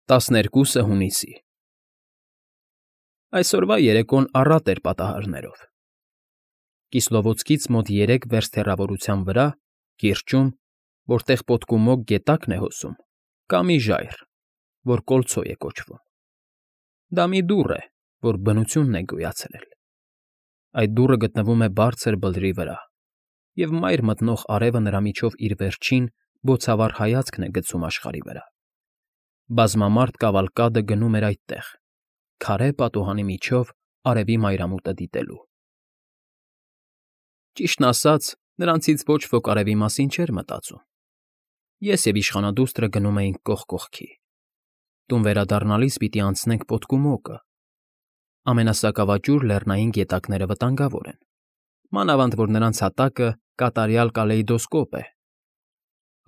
12 հունիսի Այսօրվա երեկոն առատ էր պատահարներով։ Կիսլովոցքից մոտ 3 վերստ հեռավորության վրա, կիրճում, որտեղ պոդկումոկ գետակն է հոսում, կա մի ժայռ, որ Կոլցո է կոչվում։ Դա մի դուռ է, որ բնությունն է գոյացրել։ Այդ դուռը գտնվում է բարձր բլրի վրա, և մայր մտնող արևը նրա միջով իր վերջին, բոցավառ հայացքն է գցում աշխարհի վրա։ Բազմամարդ կավալկադը գնում էր այդտեղ, քարե պատուհանի միջով արևի մայրամուտը դիտելու։ Ճիշտն ասած, նրանցից ոչ ոք արևի մասին չէր մտածում։ Ես և իշխանադուստրը գնում էինք կողք կողքի։ Տուն վերադառնալիս պիտի անցնենք պոդկումոկը։ Ամենասակավաճուռ լեռնային գետակները վտանգավոր են, մանավանդ որ նրանց հատակը կատարյալ կալեյդոսկոպ է։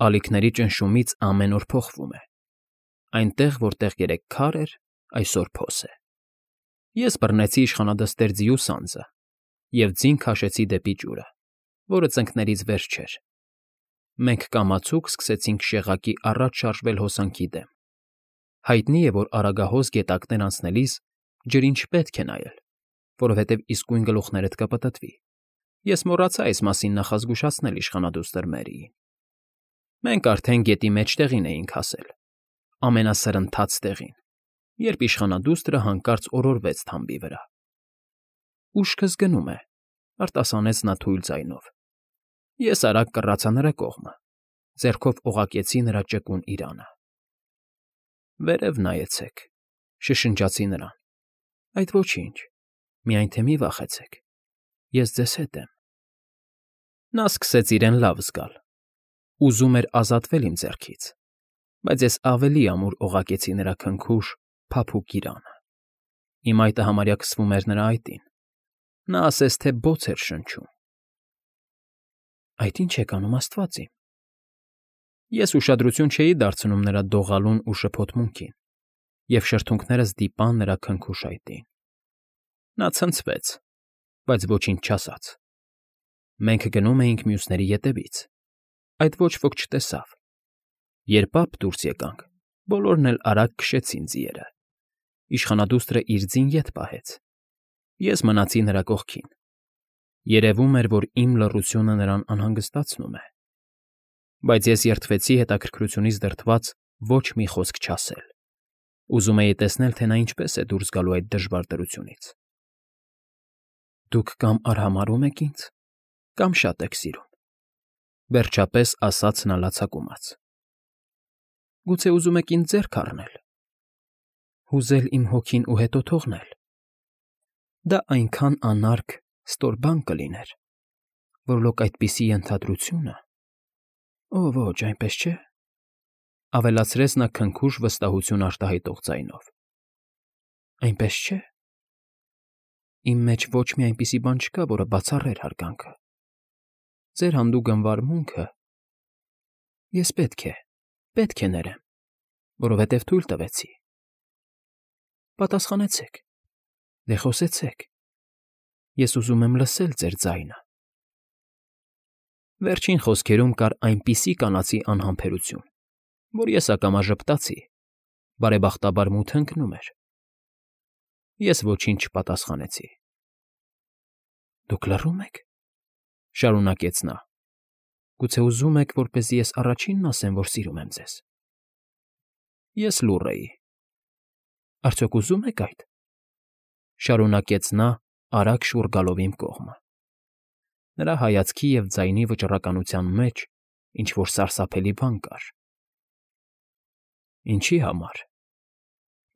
Ալիքների ճնշումից ամեն օր փոխվում է։ Այնտեղ, որտեղ երեկ քար էր, այսօր փոս է։ Ես բռնեցի իշխանադստեր ձիու սանձը և ձին քաշեցի դեպի ջուրը, որը ծնկներից վեր չէր։ Մենք կամացուկ սկսեցինք շեղակի առաջ շարժվել հոսանքի դեմ։ Հայտնի է, որ արագահոս գետակներ անցնելիս ջրին չպետք է նայել, որովհետև իսկույն գլուխներդ կպտտվի։ Ես մոռացա այս մասին նախազգուշացնել իշխանադուստր Մերիին։ Մենք արդեն գետի մեջտեղին էինք հասել, ամենասրընթաց տեղին, երբ իշխանադուստրը հանկարծ օրորվեց թամբի վրա։ «Ուշքս գնում է», արտասանեց նա թույլ ձայնով։ Ես արագ կռացա նրա կողմը, ձեռքով օղակեցի նրա ճկուն իրանը։ «Վերև նայեցեք», շշնջացի նրան։ «Այդ ոչինչ, միայն թե մի վախեցեք, ես ձեզ հետ եմ»։ Նա սկսեց իրեն լավ զգալ։ Ուզում էր ազատվել իմ ձեռքից, բայց ես ավելի ամուր օղակեցի նրա քնքուշ, փափուկ իրանը։ Իմ այտը համարյա քսվում էր նրա այտին։ Նա ասես թե բոց էր շնչում։ «Այդ ի՞նչ եք անում, աստված իմ»։ Ես ուշադրություն չէի դարձնում նրա դողալուն ու շփոթմունքին, և շրթունքներս դիպան նրա քնքուշ այտին։ Նա ցնցվեց, բայց ոչինչ չասաց։ Մենք գնում էինք մյուսների ետևից։ Այդ ոչ ոք չտեսավ։ Երբ ապ դուրս եկանք, բոլորն էլ արագ քշեցին ձիերը։ Իշխանադուստրը իր ձին ետ պահեց։ Ես մնացի նրա կողքին։ Երևում էր, որ իմ լռությունը նրան անհանգստացնում է։ Բայց ես երդվեցի հետաքրքրությունից դրդված ոչ մի խոսք չասել։ Ուզում էի տեսնել, թե նա ինչպես է դուրս գալու այդ դժվար դրությունից։ «Դուք կամ արհամարհում եք ինձ, կամ շատ եք սիրում», վերջապես ասաց նա լացակումած։ «Գուցե ուզում եք ինձ ձեռք առնել, հուզել իմ հոգին ու հետո թողնել։ Դա այնքան անարգ, ստոր բան կլիներ, որ լոկ այդպիսի ենթադրությունը… Օ, ոչ, այնպես չէ», ավելացրեց նա քնքուշ վստահություն արտահայտող ձայնով։ «Այնպես չէ։ Իմ մեջ ոչ մի այնպիսի բան չկա, որը բացառեր հարգանքը։ Ձեր հանդուգն վարմունքը… Ես պետք է ներեմ, որովհետև թույլ տվեցի։ Պատասխանեցեք, դե խոսեցեք, ես ուզում եմ լսել ձեր ձայնը»։ Վերջին խոսքերում կար այնպիսի կանացի անհամբերություն, որ ես ակամա ժպտացի, բարեբախտաբար մութը ընկնում էր։ Ես ոչինչ չպատասխանեցի։ «Դուք լռում եք,» շարունակեց նա։ «Գուցե ուզում եք, որպեսզի ես առաջինն ասեմ, որ սիրում եմ ձեզ»։ Ես լուռ էի։ «Արդյոք ուզում եք այդ,» շարունակեց նա, արագ շուռ գալով իմ կողմը։ Նրա հայացքի և ձայնի վճռականության մեջ ինչ֊որ սարսափելի բան կար։ «Ինչի համար,֊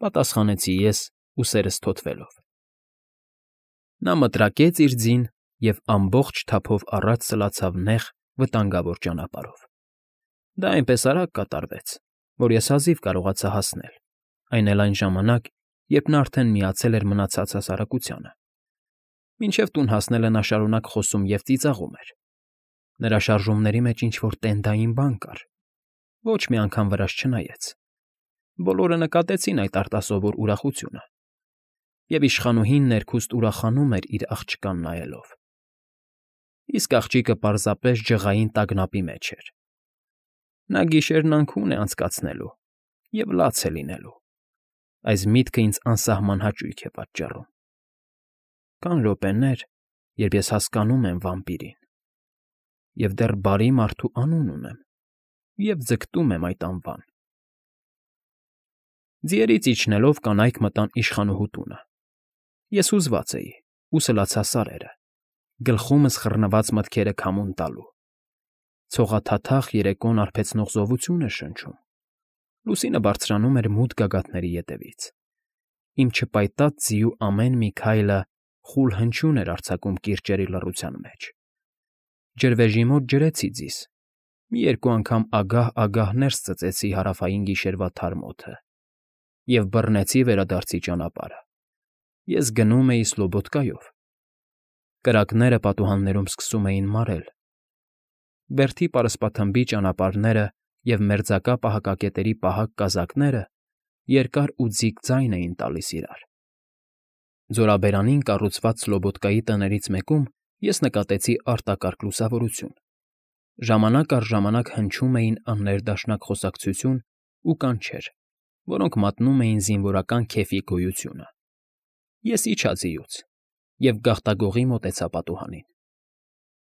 պատասխանեցի ես, ուսերս թոթվելով։ Նա մտրակեց իր ձին և ամբողջ թափով առաջ սլացավ նեղ, վտանգավոր ճանապարհով։ Դա այնպես արագ կատարվեց, որ ես հազիվ կարողացա հասնել, այն էլ այն ժամանակ, երբ նա արդեն միացել էր մնացած հասարակությանը։ Մինչև տուն հասնելը նա շարունակ խոսում և ծիծաղում էր։ Նրա շարժումների մեջ ինչ֊որ տենդային բան կար։ Ոչ մի անգամ վրաս չնայեց։ Բոլորը նկատեցին այդ արտասովոր ուրախությունը, և իշխանուհին ներքուստ ուրախանում էր իր աղջկան նայելով։ Իսկ աղջիկը պարզապես ջղային տագնապի մեջ էր։ Նա գիշերն անքուն է անցկացնելու և լաց է լինելու։ Այս միտքը ինձ անսահման հաճույք է պատճառում։ Կան րոպեներ, երբ ես հասկանում եմ վամպիրին, և դեռ բարի մարդու անուն ունեմ, և ձգտում եմ այդ անվան։ Ձիերից իջնելով կանայք մտան իշխանուհու տունը։ Ես հուզված էի ու սլացա սարերը, գլխումս խռնված մտքերը քամուն տալու։ Ցողաթաթախ երեկոն արբեցնող զովություն էր շնչում։ Լուսինը բարձրանում էր մութ գագաթների ետևից։ Իմ չպայտած ձիու ամեն մի քայլը խուլ հնչյուն էր արձակում կիրճերի լռության մեջ։ Ջրվեժի մոտ ջրեցի ձիզ։ Մի երկու անգամ ագահ-ագահ ներս ծծեցի հարավային գիշերվա թարմ օդը և բռնեցի վերադարձի ճանապարհը։ Ես գնում էի Սլոբոդկայով։ Կրակները պատուհաններում սկսում էին մարել։ Բերդի պարսպաթմբի ճանապարհները և մերձակա պահակակետերի պահակ կազակները երկար ու ձիգ ձայն էին տալիս իրար։ Ձորաբերանին կառուցված Սլոբոդկայի տներից մեկում ես նկատեցի արտակարգ լուսավորություն։ Ժամանակ առ ժամանակ հնչում էին աններդաշնակ խոսակցություն ու կանչեր, որոնք մատնում էին զինվորական քեֆի գոյությունը։ Ես իջա ձիուց և գաղտագողի մոտեցա պատուհանին։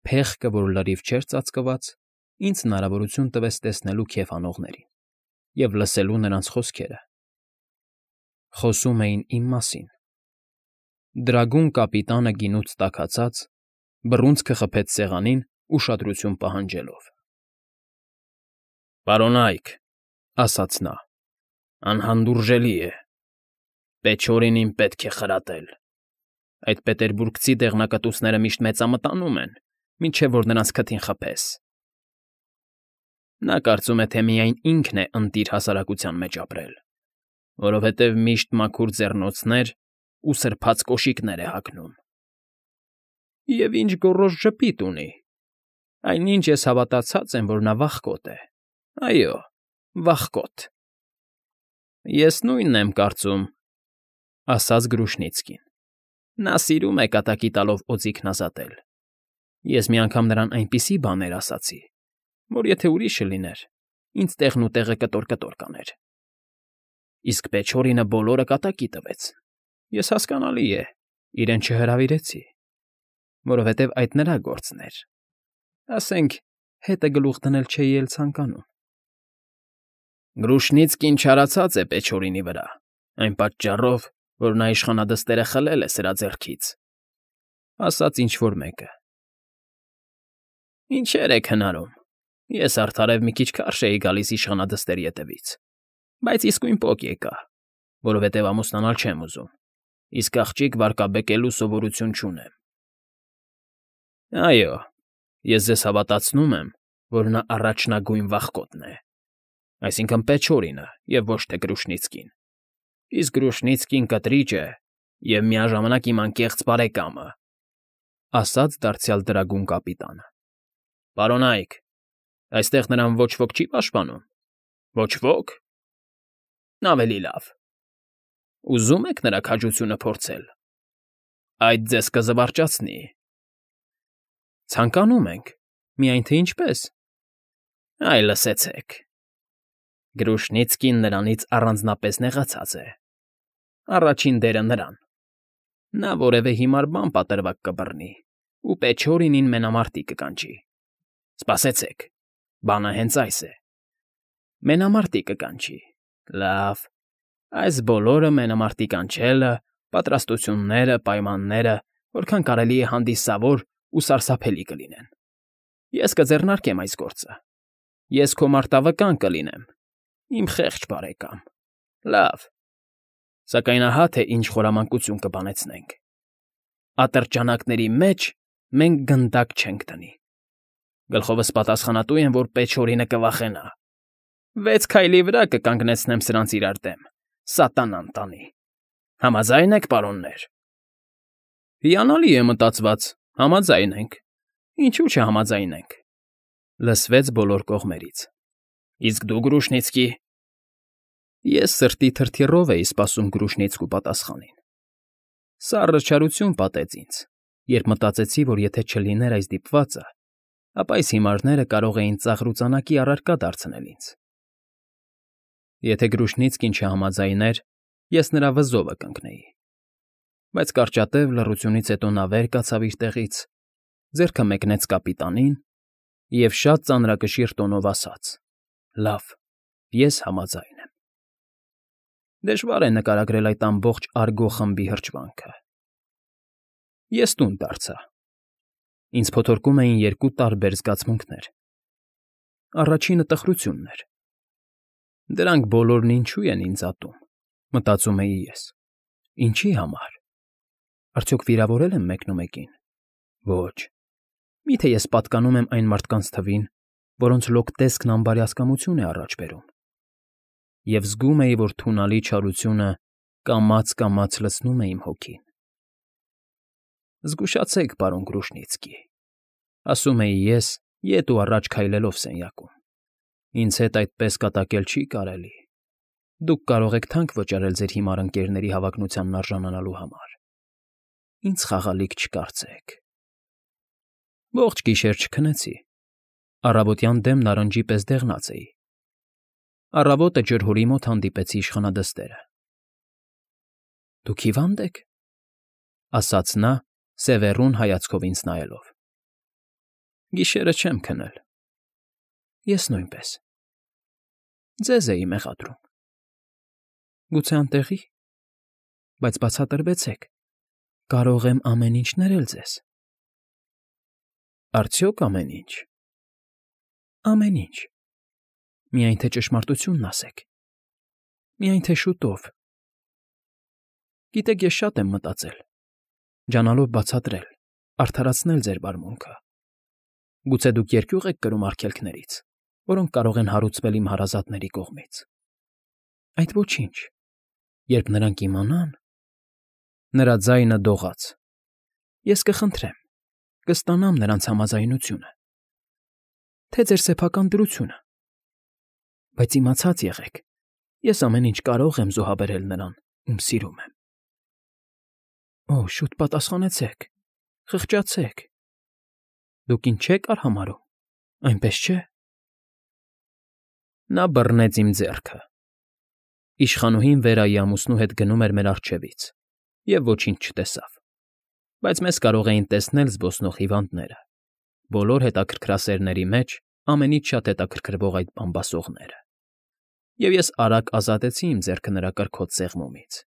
Փեղկը, որ լրիվ չէր ծածկված, ինձ հնարավորություն տվեց տեսնելու քեֆ անողներին և լսելու նրանց խոսքերը։ Խոսում էին իմ մասին։ Դրագուն կապիտանը գինուց տաքացած, բռունցքը խփեց սեղանին, ուշադրություն պահանջելով։ ֊ Պարոնայք, ֊ ասաց նա, ֊ անհանդուրժելի է։ Պեչորին պետք է խրատել։ Այդ պետերբուրգցի դեղնակտուցները միշտ մեծամտանում են, մինչև որ նրանց քթին խփես։ Նա կարծում է, թե միայն ինքն է ընտիր հասարակության մեջ ապրել, որովհետև միշտ մաքուր ձեռնոցներ ու սրբած կոշիկներ է հագնում։ Եվ ինչ գոռոզ ժպիտ ունի։ Այնինչ ես հավատացած եմ, որ նա վախկոտ է։ Այո, վախկոտ։ Ես նույնն եմ կարծում, ֊ ասաց Գրուշնիցկին։ Նա սիրում է կատակի տալով օձիքն ազատել։ Ես մի անգամ նրան այնպիսի բաներ ասացի, որ եթե ուրիշը լիներ, ինձ տեղնուտեղը կտոր-կտոր կաներ։ Իսկ Պեչորինը բոլորը կատակի տվեց։ Ես, հասկանալի է, իրեն չհրավիրեցի, որովհետև այդ նրա գործն էր։ Ասենք, հետը գլուխ դնել չէի էլ ցանկանում։ Գրուշնիցկին չարացած է Պեչորինի վրա, այն պատճառով, որ նա իշխանադստերը խլել է սրա ձեռքից, ֊ ասաց ինչ֊որ մեկը։ Ինչեր եք հնարում։ Ես արդարև մի քիչ քարշ էի գալիս իշխանադստերի ետևից, բայց իսկույն պոկ եկա, որովհետև ամուսնանալ չեմ ուզում, իսկ աղջիկ վարկաբեկելու սովորություն չունեմ։ Այո, ես ձեզ հավատացնում եմ, որ նա առաջնագույն վախկոտն է, այսինքն Պեչորինը և ոչ թե Գրուշնիցկին, իսկ Գրուշնիցկին կտրիճ է և միաժամանակ իմ անկեղծ բարեկամը, ֊ ասաց դարձյալ դրագուն կապիտանը։ Պարոնայք, այստեղ նրան ոչ ոք չի պաշտպանում։ Ոչ ոք։ Ավելի լավ։ Ուզում եք նրա քաջությունը փորձել։ Այդ ձեզ կզվարճացնի։ Ցանկանում ենք, միայն թե ինչպես։ Այ լսեցեք։ Գրուշնիցկին նրանից առանձնապես նեղացած է։ Առաջին դերը նրան։ Նա որևէ հիմար բան պատրվակ կբռնի ու Պեչորինին մենամարտի կկանչի։ Սպասեցեք, բանը հենց այս է։ Մենամարտի կկանչի։ Լավ, այս բոլորը մենամարտի կանչելը, պատրաստությունները, պայմանները, որքան կարելի է հանդիսավոր ու սարսափելի կլինեն։ Ես կձեռնարկեմ այս գործը։ Ես քո մարտավկան կլինեմ, իմ խեղճ բարեկամ։ Լավ, սակայն ահա թե ինչ խորամանկություն կբանեցնենք։ Ատրճանակների մեջ մենք գնդակ չենք տնի։ Գլխովս պատասխանատու եմ, որ Պեչորինը կվախենա։ 6 քայլի վրա կկանգնեցնեմ սրանց իրար դեմ, սատանան տանի։ Համաձայն եք, պարոններ։ Հիանալի է մտածված, համաձայն ենք։ Ինչու՞ չհամաձայնենք։ Լսվեց բոլոր կողմերից։ Իսկ դու, Գրուշնիցկի։ Ես սրտի թրթիռով էի սպասում Գրուշնիցկու պատասխանին։ Սառը չարություն պատեց ինձ, երբ մտածեցի, որ եթե չլիներ այս դիպվածը, ապա այս հիմարները կարող էին ծաղրուծանակի առարկա դարձնել ինձ։ Եթե Գրուշնիցկին չհամաձայներ, ես նրա վզովը կընկնեի։ Բայց կարճատև լռությունից հետո նա վեր կացավ իր տեղից, ձեռքը մեկնեց կապիտանին և շատ ծանրակշիռ տոնով ասաց. «Լավ, ես համաձայն եմ»։ Դժվար է նկարագրել այդ ամբողջ արգո խմբի հրճվանքը։ Ես տուն դարձա։ Ինձ փոթորկում էին երկու տարբեր զգացմունքներ։ Առաջինը տխրությունն էր։ Դրանք բոլորն ինչու են ինձ ատում, մտածում էի ես։ Ինչի համար։ Արդյոք վիրավորել եմ մեկնումեկին։ Ոչ։ Միթե ես պատկանում եմ այն մարդկանց թվին, որոնց լոկ տեսքն անբարյացկամություն է առաջ բերում։ Եվ զգում էի, որ թունալի չարությունը կամաց֊կամաց լցնում է իմ հոգին։ Զգուշացեք, պարոն Կրուշնիցկի, ասում էի ես, ետ ու առաջ քայլելով սենյակում։ Ինձ հետ այդպես կատակել չի կարելի։ Դուք կարող եք թանկ վճարել ձեր հիմար ընկերների հավակնությանն արժանանալու համար։ Ինձ խաղալիք չկարծեք։ Ողջ գիշեր չքնեցի։ Առավոտյան դեմ նարնջի պես դեղնած էի։ Առավոտը ջրհորի մոտ հանդիպեցի իշխանադստերը։ Դուք հիվա՞նդ եք, ասաց նա, սևեռուն հայացքով ինձ նայելով։ Գիշերը չեմ քնել։ Ես նույնպես։ Ձեզ էի մեղադրում։ Գուցե անտեղի՞, բայց բացատրվեցեք, կարող եմ ամեն ինչ ներել ձեզ։ Արդյոք ամեն ինչ։ Ամեն ինչ։ Միայն թե ճշմարտությունն ասեք։ Միայն թե շուտով։ Գիտեք, ես շատ եմ մտածել, ջանալով բացատրել, արդարացնել ձեր վարմունքը։ Գուցե դուք երկյուղ եք կրում արգելքներից, որոնք կարող են հարուցվել իմ հարազատների կողմից։ Այդ ոչինչ, երբ նրանք իմանան… Նրա ձայնը դողաց։ Ես կխնդրեմ, կստանամ նրանց համաձայնությունը, թե ձեր սեփական դրությունը։ Բայց իմացած եղեք, ես ամեն ինչ կարող եմ զոհաբերել նրան, ում սիրում եմ։ Օ, շուտ պատասխանեցեք, խղճացեք։ Դուք ինձ չեք արհամարհում, այնպես չէ։ Նա բռնեց իմ ձեռքը։ Իշխանուհին Վերայի ամուսնու հետ գնում էր մեր առջևից և ոչինչ չտեսավ, բայց մեզ կարող էին տեսնել զբոսնող հիվանդները, բոլոր հետաքրքրասերների մեջ ամենից շատ հետաքրքրվող այդ բամբասողները, և ես արագ ազատեցի իմ ձեռքը նրա կրքոտ սեղմումից։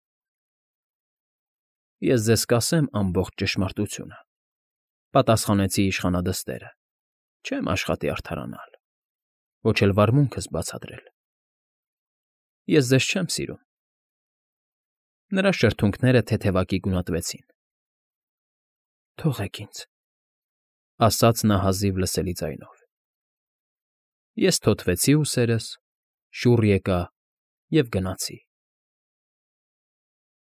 Ես ձեզ կասեմ ամբողջ ճշմարտությունը, պատասխանեցի իշխանադստերը, չեմ աշխատի արդարանալ, ոչ էլ վարմունքս բացատրել։ Ես ձեզ չեմ սիրում։ Նրա շրթունքները թեթևակի գունատվեցին։ Թողեք ինձ, ասաց նա հազիվ լսելի ձայնով։ Ես թոթվեցի ուսերս, շուռ եկա և գնացի։